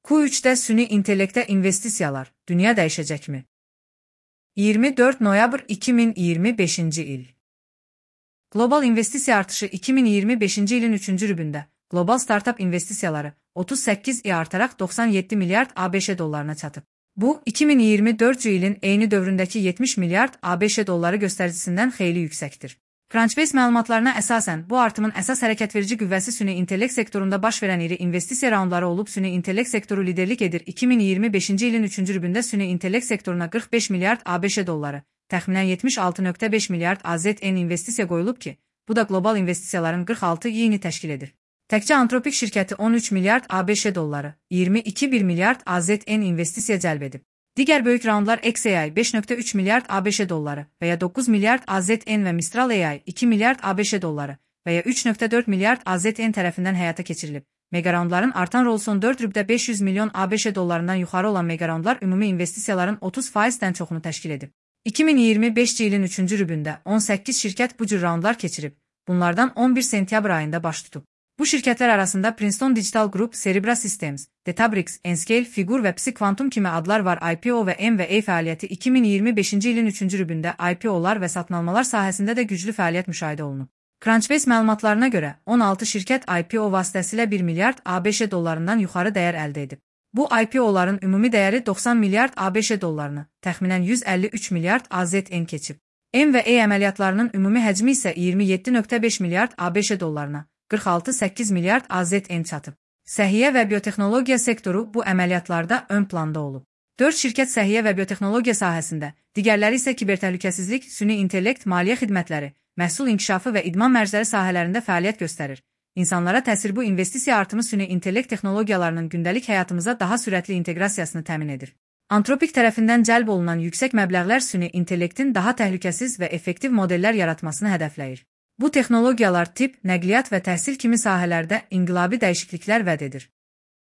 Q3'də süni intellektə investisiyalar, dünya dəyişəcəkmi? 24 noyabr 2025-ci il. Qlobal investisiya artışı 2025-ci ilin 3-cü rübündə qlobal startup investisiyaları 38% artaraq 97 milyard ABŞ dollarına çatıb. Bu, 2024-cü ilin eyni dövründəki 70 milyard ABŞ dolları göstəricisindən xeyli yüksəkdir. Crunchbase məlumatlarına əsasən, bu artımın əsas hərəkətverici qüvvəsi süni intellekt sektorunda baş verən iri investisiya raundları olub, süni intellekt sektoru liderlik edir. 2025-ci ilin 3-cü rübündə süni intellekt sektoruna 45 milyard ABŞ dolları, təxminən 76,5 milyard AZN investisiya qoyulub ki, bu da qlobal investisiyaların 46%-ni təşkil edir. Təkcə Anthropic şirkəti 13 milyard ABŞ dolları, 22,1 milyard AZN investisiya cəlb edib. Digər böyük raundlar XAI 5,3 milyard ABŞ dolları və ya 9 milyard AZN və Mistral AI 2 milyard ABŞ dolları və ya 3,4 milyard AZN tərəfindən həyata keçirilib. Megaroundların artan rolu son 4 rübdə 500 milyon ABŞ dollarından yuxarı olan megaroundlar ümumi investisiyaların 30%-dən çoxunu təşkil edib. 2025-ci ilin 3-cü rübündə 18 şirkət bu cür raundlar keçirib. Bunlardan 11 sentyabr ayında baş tutub. Bu şirkətlər arasında Princeton Digital Group, Cerebra Systems, Databricks, Enscale, Figure və PsiQuantum kimi adlar var. IPO və M&A fəaliyyəti 2025-ci ilin 3-cü rübündə IPO-lar və satın almalar sahəsində də güclü fəaliyyət müşahidə olunub. Crunchbase məlumatlarına görə 16 şirkət IPO vasitəsilə 1 milyard ABŞ dollarından yuxarı dəyər əldə edib. Bu IPO-ların ümumi dəyəri 90 milyard ABŞ dollarını, təxminən 153 milyard AZN keçib. M&A əməliyyatlarının ümumi həcmi isə 27,5 milyard ABŞ dollarına, 46,8 milyard AZN çatıb. Səhiyyə və biotexnologiya sektoru bu əməliyyatlarda ön planda olub. 4 şirkət səhiyyə və biotexnologiya sahəsində, digərləri isə kibertəhlükəsizlik, süni intellekt, maliyyə xidmətləri, məhsul inkişafı və idman mərcləri sahələrində fəaliyyət göstərir. İnsanlara təsir bu investisiya artımı süni intellekt texnologiyalarının gündəlik həyatımıza daha sürətli inteqrasiyasını təmin edir. Anthropic tərəfindən cəlb olunan yüksək məbləğlər süni intellektin daha təhlükəsiz və effektiv modellər yaratmasını hədəfləyir. Bu texnologiyalar tibb, nəqliyyat və təhsil kimi sahələrdə inqilabi dəyişikliklər vəd edir.